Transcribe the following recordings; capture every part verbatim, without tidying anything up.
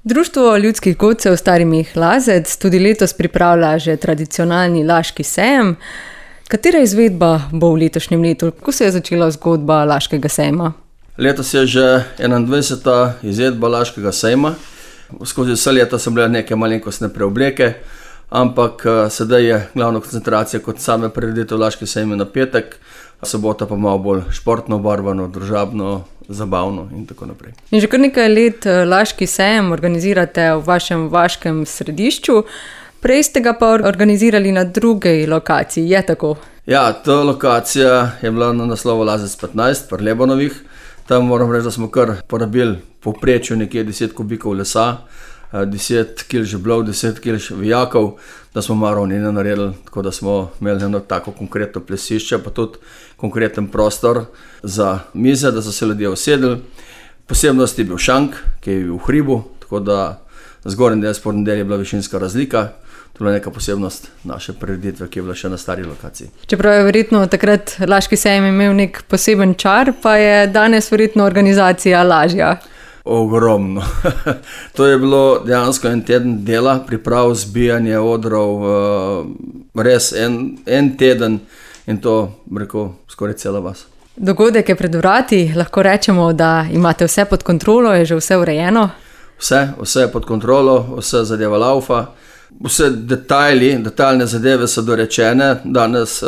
Društvo ljudskih godcev Stari Meh Lazec tudi letos pripravlja že tradicionalni Laški sejem. Katera izvedba bo v letošnjem letu? Kako se je začela zgodba Laškega sejma? Letos je že enaindvajseta izvedba Laškega sejma. Skozi vse leta so bile neke malenkostne preobleke, ampak sedaj je glavna koncentracija kot same prireditev Laški sejem na petek, sobota pa malo bolj športno obarvano, družabno, zabavno in tako naprej. In že kar nekaj let Laški sejem organizirate v vašem vaškem središču, prej ste ga pa organizirali na drugi lokaciji, je tako? Ja, ta lokacija je bila na naslovu Lazec petnajst, pri Lebonovih. Tam moram reči, da smo kar porabili povprečju nekje deset kubikov lesa, deset kil žeblov, deset kil vijakov, da smo marovnine naredili, tako da smo imeli eno tako konkretno plesišče, pa tudi konkreten prostor za mize, da so se ljudje usedli. Posebnost je bil šank, ki je bil v hribu, tako da zgornji del, spodnji del je bila višinska razlika. To je bila neka posebnost naše prireditve, ki je bila še na stari lokaciji. Čeprav je verjetno takrat Laški sejem imel nek poseben čar, pa je danes verjetno organizacija lažja. Ogromno. To je bilo dejansko en teden dela, priprav, zbijanje odrov, res en, en teden in to, rekel, skoraj cela vas. Dogodek je pred vrati, lahko rečemo, da imate vse pod kontrolo, je že vse urejeno? Vse, vse je pod kontrolo, vse zadeva laufa, vse detajli, detaljne zadeve so dorečene, danes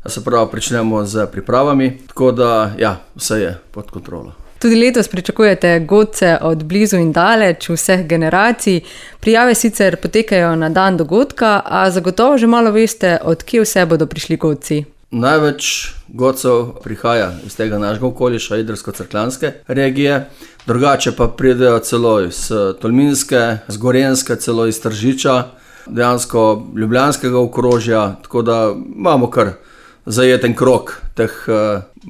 se pravi pričnemo z pripravami, tako da ja, vse je pod kontrolo. Tudi letos pričakujete godce od blizu in daleč, vseh generacij. Prijave sicer potekajo na dan dogodka, a zagotovo že malo veste, od kje vse bodo prišli godci. Največ godcev prihaja iz tega našega okoliša, idrsko-cerkljanske regije, drugače pa pridejo celo iz Tolminske, z Gorenjske, celo iz Tržiča, dejansko ljubljanskega okrožja, tako da imamo kar zajeten krog teh,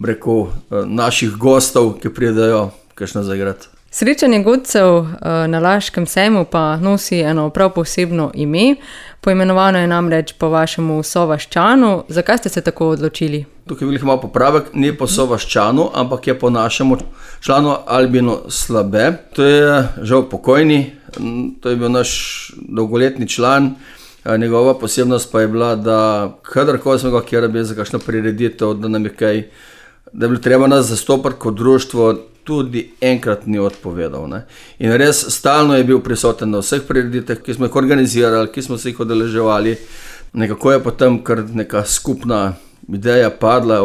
rekel, naših gostov, ki pridejo kakšno zaigrati. Srečanje godcev na Laškem sejmu pa nosi eno prav posebno ime. Poimenovano je namreč po vašemu sovaščanu. Zakaj ste se tako odločili? Tukaj je bil malo popravek, ni po sovaščanu, ampak je po našemu članu Albinu Slabe. To je žal pokojni, to je bil naš dolgoletni član. Njegova posebnost pa je bila, da kadarkoli smo ga kjer bili za kakšno prireditev, da nam je kaj, da je bilo treba nas zastopati kot društvo, tudi enkrat ni odpovedal. Ne? In res stalno je bil prisoten na vseh prireditev, ki smo jih organizirali, ki smo se jih udeleževali. Nekako je potem kar neka skupna ideja padla,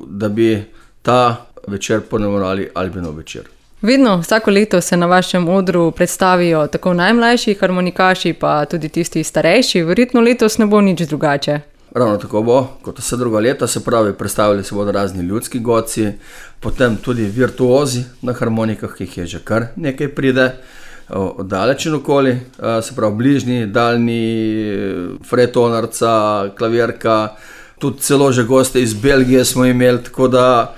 da bi ta večer poimenovali Albinov večer. Vedno, vsako leto se na vašem odru predstavijo tako najmlajši harmonikaši, pa tudi tisti starejši. Verjetno letos ne bo nič drugače. Ravno tako bo, kot vse druga leta, se pravi, predstavili se bodo razni ljudski godci, potem tudi virtuozi na harmonikah, ki jih je že kar nekaj pride, oddaleč in okoli, se pravi bližnji, daljni, fretonarca, klavirka, tudi celo že goste iz Belgije smo imeli, tako da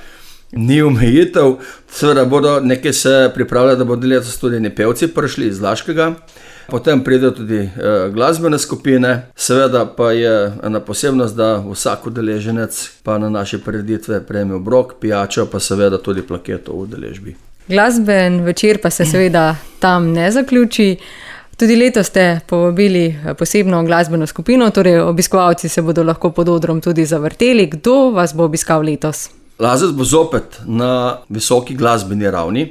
ni omejitev. Seveda bodo nekaj se pripravljali, da bodo letos tudi eni pevci prišli iz Laškega. Potem pridejo tudi e, glasbene skupine. Seveda pa je ena posebnost, da vsak udeleženec pa na naše prireditve prejme obrok, pijačo, pa seveda tudi plaketo v udeležbi. Glasben večer pa se seveda tam ne zaključi. Tudi letos ste povabili posebno glasbeno skupino, torej obiskovalci se bodo lahko pod odrom tudi zavrteli. Kdo vas bo obiskal letos? Lazec bo zopet na visoki glasbeni ravni,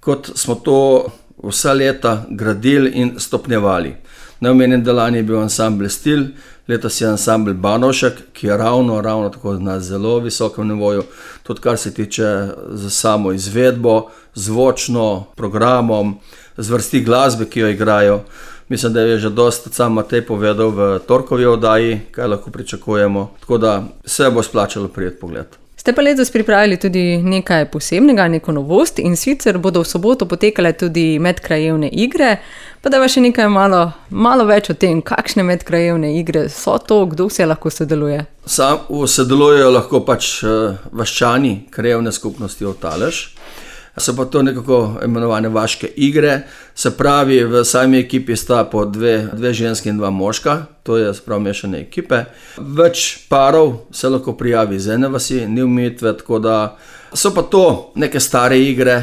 kot smo to vsa leta gradili in stopnjevali. Neomenjen delanje je bil ansambl Stil, letos je ansambl Banovšek, ki je ravno, ravno tako na zelo visokem nivoju, tudi kar se tiče za samo izvedbo, zvočno, programom, zvrsti glasbe, ki jo igrajo. Mislim, da je že dosti sam Matej povedal v torkovi oddaji, kaj lahko pričakujemo, tako da se bo splačalo prijeti pogled. Ste pa letos pripravili tudi nekaj posebnega, neko novost, in sicer bodo v soboto potekale tudi medkrajevne igre. Pa da vas še nekaj malo, malo več o tem, kakšne medkrajevne igre so to, kdo vse lahko sodeluje? Sam sodelujejo lahko pač vaščani krajevne skupnosti Otalež. So pa to nekako imenovane vaške igre, se pravi, v sami ekipi sta po dve, dve ženski in dva moška, to je sprav mešane ekipe. Več parov se lahko prijavi iz ene vasi, ni omejitve, tako da so pa to neke stare igre,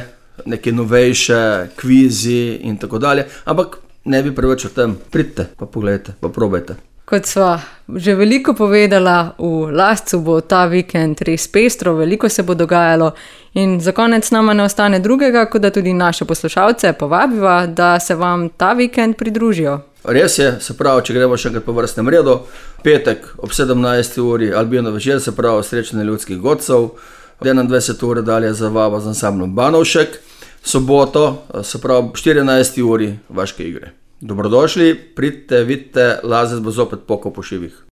neke novejše kvizi in tako dalje, ampak ne bi preveč o tem. Pridite, pa pogledajte, pa probajte. Kot sva že veliko povedala, v Lascu bo ta vikend res pestro, veliko se bo dogajalo in za konec nama ne ostane drugega, kot da tudi naše poslušalce povabiva, da se vam ta vikend pridružijo. Res je, se pravi, če gremo še enkrat po vrstnem redu, petek ob sedemnajsti uri Albino večer, se pravi srečanje ljudskih godcev, enaindvajsete ure dalje zavaba z ansamblom Banovšek, soboto, se pravi ob štirinajsti uri vaške igre. Dobrodošli, pridite, vidite, Lazec bo zopet pokal po šivih.